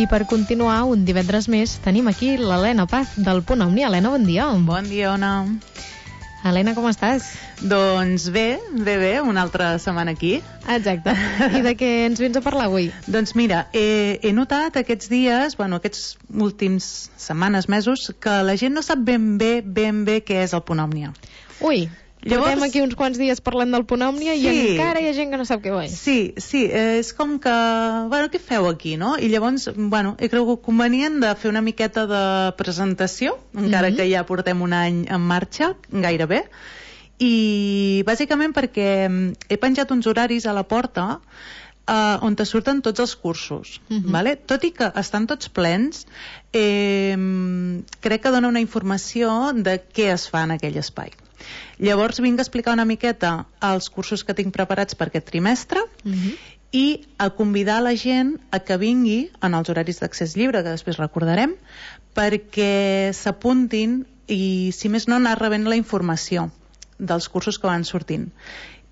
I per continuar, un divendres més, tenim aquí l'Helena Paz, del Punt Omni. Helena, bon dia. Bon dia, Ona. Helena, com estàs? Doncs bé, una altra setmana aquí. Exacte. I de què ens vens a parlar avui? Doncs mira, he notat aquests dies, aquests últims setmanes, mesos, que la gent no sap ben bé què és el Punt Òmnia. Ui, portem aquí uns quants dies parlant del Punt Òmnia i encara hi ha gent que no sap què és. Sí, és com que, què feu aquí, no? I llavors, he cregut convenient de fer una miqueta de presentació, encara que ja portem un any en marxa, gairebé, i bàsicament perquè he penjat uns horaris a la porta on te surten tots els cursos, vale? Tot i que estan tots plens, crec que dona una informació de què es fa en aquell espai. Llavors vinc a explicar una miqueta els cursos que tinc preparats per aquest trimestre i a convidar la gent a que vingui en els horaris d'accés lliure, que després recordarem, perquè s'apuntin i, si més no, anar rebent la informació dels cursos que van sortint.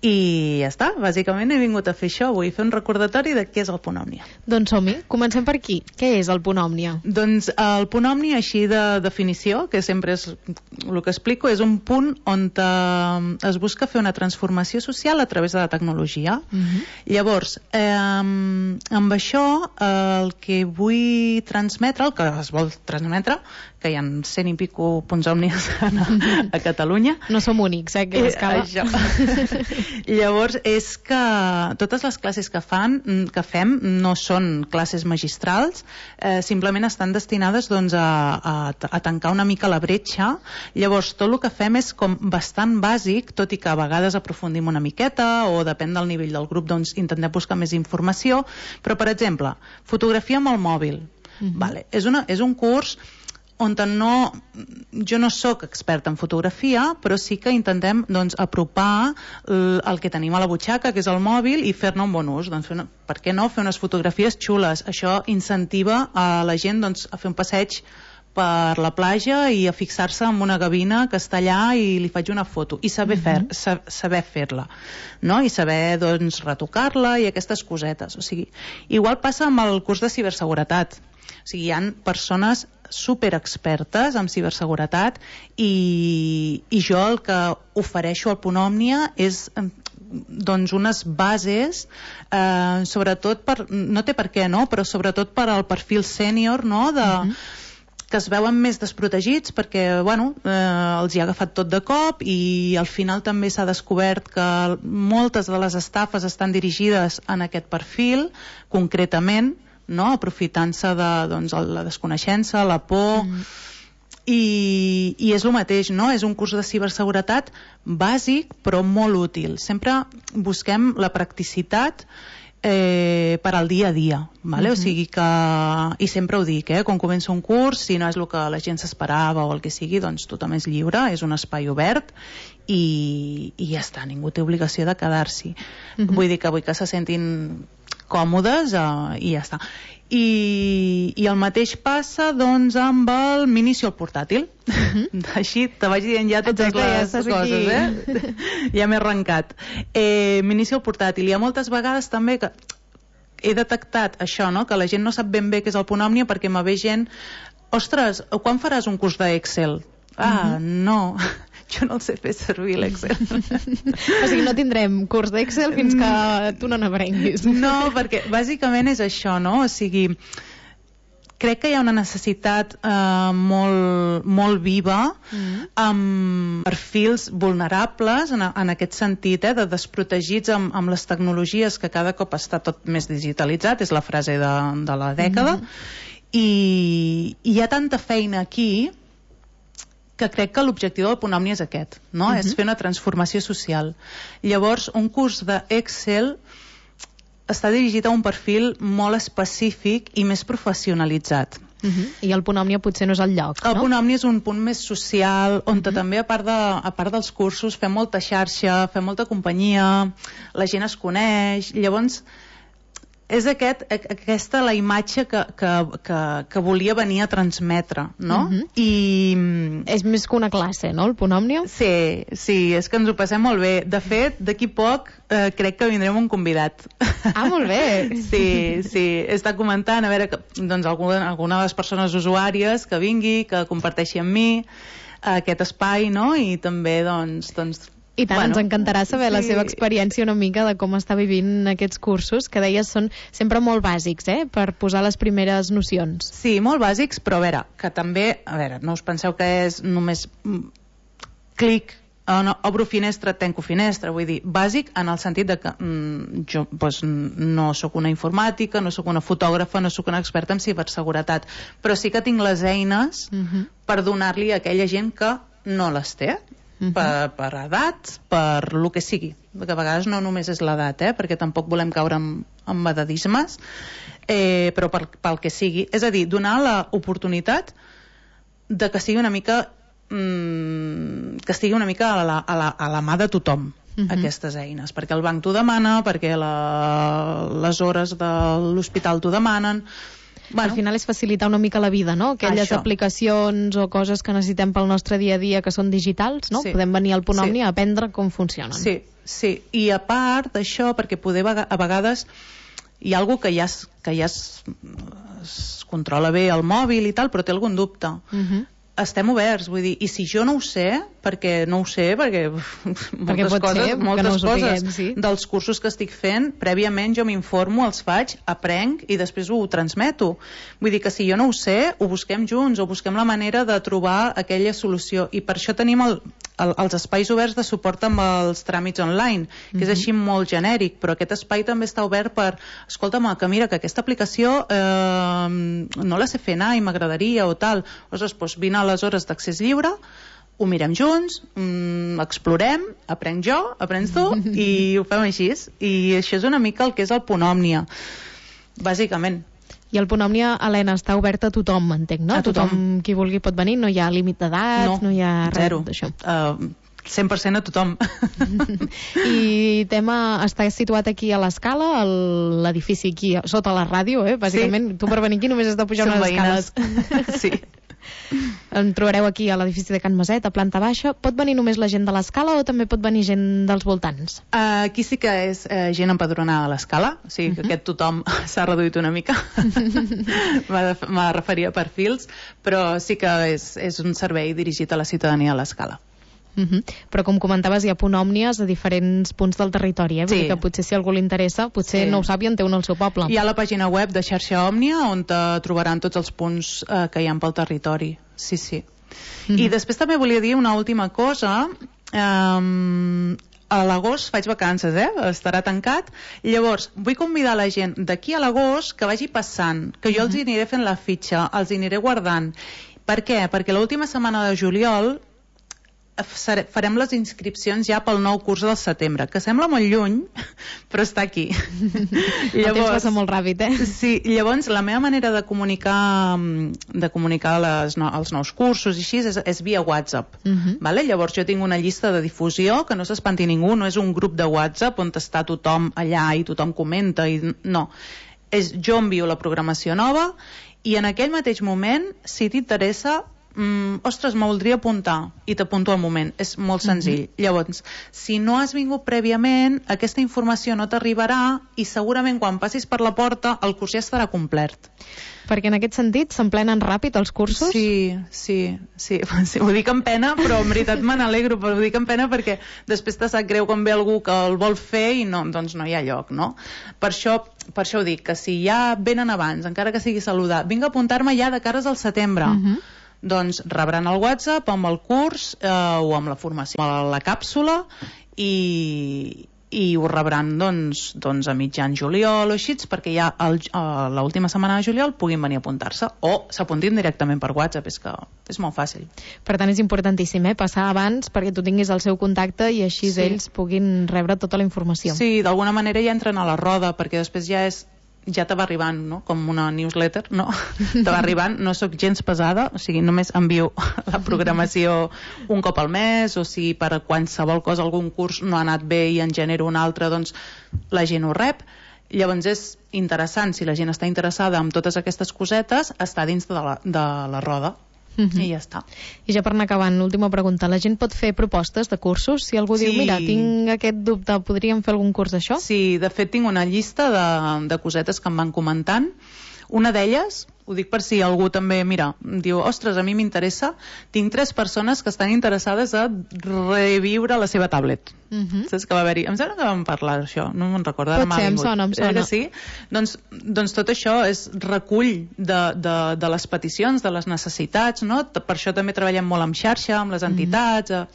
I ja està, bàsicament he vingut a fer això, vull fer un recordatori de què és el Punt Òmnia. Doncs som-hi, comencem per aquí. Què és el Punt Òmnia? Doncs el Punt Òmnia, així de definició, que sempre és el que explico, és un punt on es busca fer una transformació social a través de la tecnologia. Llavors, amb això, el que vull transmetre, el que es vol transmetre, que hi ha 100 i pico punts òmnies a Catalunya. No som únics, aquí a l'escala. Llavors, és que totes les classes que fem no són classes magistrals, simplement estan destinades a tancar una mica la bretxa. Llavors, tot el que fem és com bastant bàsic, tot i que a vegades aprofundim una miqueta, o depèn del nivell del grup, doncs intentem buscar més informació. Però, per exemple, fotografia amb el mòbil. És un curs on jo no sóc experta en fotografia, però sí que intentem apropar el que tenim a la butxaca, que és el mòbil, i fer-ne un bon ús. Doncs per què no fer unes fotografies xules? Això incentiva a la gent a fer un passeig per la platja i a fixar-se en una gavina que està allà i li faig una foto, i saber fer-la, no? I saber retocar-la i aquestes cosetes. O sigui, igual passa amb el curs de ciberseguretat. O sigui, hi ha persones superexpertes en ciberseguretat i jo el que ofereixo al Punt Òmnia és unes bases, sobretot no té per què, no? Però sobretot per al perfil sènior, no? Que es veuen més desprotegits perquè els hi ha agafat tot de cop, i al final també s'ha descobert que moltes de les estafes estan dirigides en aquest perfil concretament, no? Aprofitant-se de la desconeixença, la por, i és el mateix, no? És un curs de ciberseguretat bàsic però molt útil. Sempre busquem la practicitat per al dia a dia, o sigui que, i sempre ho dic, quan comença un curs, si no és el que la gent s'esperava o el que sigui, doncs tothom és lliure, és un espai obert i ja està, ningú té obligació de quedar-s'hi. Vull dir que vull que se sentin còmodes i ja està. I el mateix passa amb el Minicio al portàtil. Així te vaig dient ja totes les coses, ja m'he arrencat. Minicio al portàtil. Hi ha moltes vegades també que he detectat això, que la gent no sap ben bé què és el Punt Òmnia, perquè me ve gent: ostres, quan faràs un curs d'Excel? No, jo no el sé fer servir, l'Excel. O sigui, no tindrem curs d'Excel fins que tu no n'aprenguis. No, perquè bàsicament és això, no? O sigui, crec que hi ha una necessitat molt viva amb perfils vulnerables en aquest sentit, de desprotegits amb les tecnologies, que cada cop està tot més digitalitzat, és la frase de la dècada, i hi ha tanta feina aquí que crec que l'objectiu del Punt Òmnia és aquest, no? És fer una transformació social. Llavors, un curs d'Excel està dirigit a un perfil molt específic i més professionalitzat. I el Punt Òmnia potser no és el lloc, no? El Punt Òmnia és un punt més social, on també, a part dels cursos, fem molta xarxa, fem molta companyia, la gent es coneix. Llavors, És aquesta la imatge que volia venir a transmetre, no? És més que una classe, no, el Punt Òmnia? Sí, és que ens ho passem molt bé. De fet, d'aquí poc crec que vindrem un convidat. Ah, molt bé! Sí, he estat comentant, a veure, doncs alguna de les persones usuàries que vingui, que comparteixi amb mi aquest espai, no? I també, doncs i tant, ens encantarà saber la seva experiència una mica de com està vivint aquests cursos, que deies són sempre molt bàsics, per posar les primeres nocions. Sí, molt bàsics, però a veure, que també, no us penseu que és només clic, obro finestra, tanco finestra, vull dir, bàsic en el sentit de que jo no sóc una informàtica, no sóc una fotògrafa, no sóc una experta en ciberseguretat, però sí que tinc les eines per donar-li a aquella gent que no les té, per edats, per lo que sigui, que a vegades no només és l'edat, perquè tampoc volem caure en edadismes, però pel que sigui, és a dir, donar l'oportunitat de que sigui una mica a la mà de tothom, aquestes eines, perquè el banc t'ho demana, perquè les hores de l'hospital t'ho demanen. Al final és facilitar una mica la vida, no? Aquelles aplicacions o coses que necessitem pel nostre dia a dia que són digitals, no? Podem venir al Punt Òmnia a aprendre com funcionen. Sí, i a part d'això, perquè a vegades hi ha algú que ja es controla bé el mòbil i tal, però té algun dubte. Estem oberts, vull dir, i si jo no ho sé, perquè moltes coses dels cursos que estic fent, prèviament jo m'informo, els faig, aprenc i després ho transmeto. Vull dir que si jo no ho sé, ho busquem junts, o busquem la manera de trobar aquella solució, i per això tenim els espais oberts de suport amb els tràmits online, que és així molt genèric, però aquest espai també està obert per, escolta'm, que mira, que aquesta aplicació no la sé fer anar i m'agradaria o tal, doncs vine a les hores d'accés lliure, ho mirem junts, explorem, aprenc jo, aprens tu, i ho fem així. I això és una mica el que és el Punt Òmnia, bàsicament. I el Punt Òmnia, Helena, està obert a tothom, entenc, no? A tothom qui vulgui pot venir, no hi ha límit d'edat, no hi ha res d'això. 100% a tothom. I està situat aquí a l'Escala, a l'edifici aquí sota la ràdio, bàsicament. Tu per venir aquí només has de pujar unes escales. Sí. En trobareu aquí a l'edifici de Can Maset, a planta baixa. Pot venir només la gent de l'Escala o també pot venir gent dels voltants? Aquí sí que és gent empadronada a l'Escala, o sigui que aquest tothom s'ha reduït una mica. Me referia a perfils, però sí que és un servei dirigit a la ciutadania a l'Escala. Però com comentaves, hi ha Punt Òmnies a diferents punts del territori, Vull dir que potser si algú li interessa, potser no ho sap i en té un al seu poble. Hi ha la pàgina web de Xarxa Òmnia on trobaran tots els punts que hi ha pel territori. Sí. I després també volia dir una última cosa. A l'agost faig vacances, estarà tancat. Llavors, vull convidar la gent d'aquí a l'agost que vagi passant, que jo els aniré fent la fitxa, els aniré guardant. Per què? Perquè l'última setmana de juliol farem les inscripcions ja pel nou curs del setembre, que sembla molt lluny, però està aquí. El temps passa molt ràpid, Sí, llavors la meva manera de comunicar els nous cursos i així és via WhatsApp. Llavors jo tinc una llista de difusió, que no s'espanti ningú, no és un grup de WhatsApp on està tothom allà i tothom comenta, no. Jo envio la programació nova i en aquell mateix moment, si t'interessa, ostres, me voldria apuntar, i t'apunto al moment, és molt senzill. Llavors, si no has vingut prèviament, aquesta informació no t'arribarà i segurament quan passis per la porta el curs ja estarà complet. Perquè en aquest sentit s'emplenen ràpid els cursos? Sí. Ho dic amb pena, però en veritat me n'alegro, però ho dic amb pena perquè després te sap greu quan ve algú que el vol fer i doncs no hi ha lloc, no? Per això ho dic, que si ja venen abans, encara que sigui saludar, vinc a apuntar-me ja de cares al setembre. Doncs rebran el WhatsApp amb el curs o amb la formació, la càpsula, i ho rebran doncs a mitjan juliol o així, perquè ja l'última setmana de juliol puguin venir a apuntar-se o s'apuntin directament per WhatsApp, és molt fàcil. Per tant és importantíssim passar abans perquè tu tinguis el seu contacte i així ells puguin rebre tota la informació. Sí, d'alguna manera ja entren a la roda, perquè després ja te va arribant, no? Com una newsletter, no? Te va arribant, no sóc gens pesada, o sigui, només envio la programació un cop al mes, o si per qualsevol cosa, algun curs no ha anat bé i en genero un altre, doncs la gent ho rep, Llavors és interessant, si la gent està interessada en totes aquestes cosetes, està dins de la roda. I ja està. I ja per anar acabant, l'última pregunta, la gent pot fer propostes de cursos? Si algú diu, mira, tinc aquest dubte, podríem fer algun curs d'això? Sí, de fet tinc una llista de cosetes que em van comentant. Una d'elles, ho dic per si algú també, mira, diu, ostres, a mi m'interessa, tinc 3 persones que estan interessades a reviure la seva tablet. Saps que va haver-hi? Em sembla que vam parlar d'això, no me'n recordo. Potser, em sona. Que sí? Doncs tot això és recull de les peticions, de les necessitats, no? Per això també treballem molt en xarxa, amb les entitats,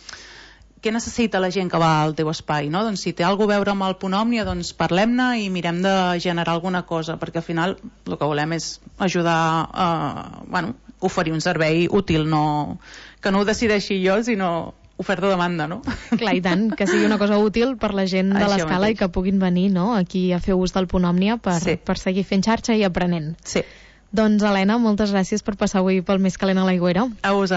què necessita la gent que va al teu espai, no? Doncs si té alguna cosa a veure amb el Punt Òmnia, doncs parlem-ne i mirem de generar alguna cosa, perquè al final el que volem és ajudar a oferir un servei útil, que no ho decideixi jo, sinó oferta-demanda, no? Clar, i tant, que sigui una cosa útil per la gent de l'escala i que puguin venir, no?, aquí a fer ús del Punt Òmnia per seguir fent xarxa i aprenent. Sí. Doncs, Helena, moltes gràcies per passar avui pel Més Calent a l'Aigüera. A vosaltres.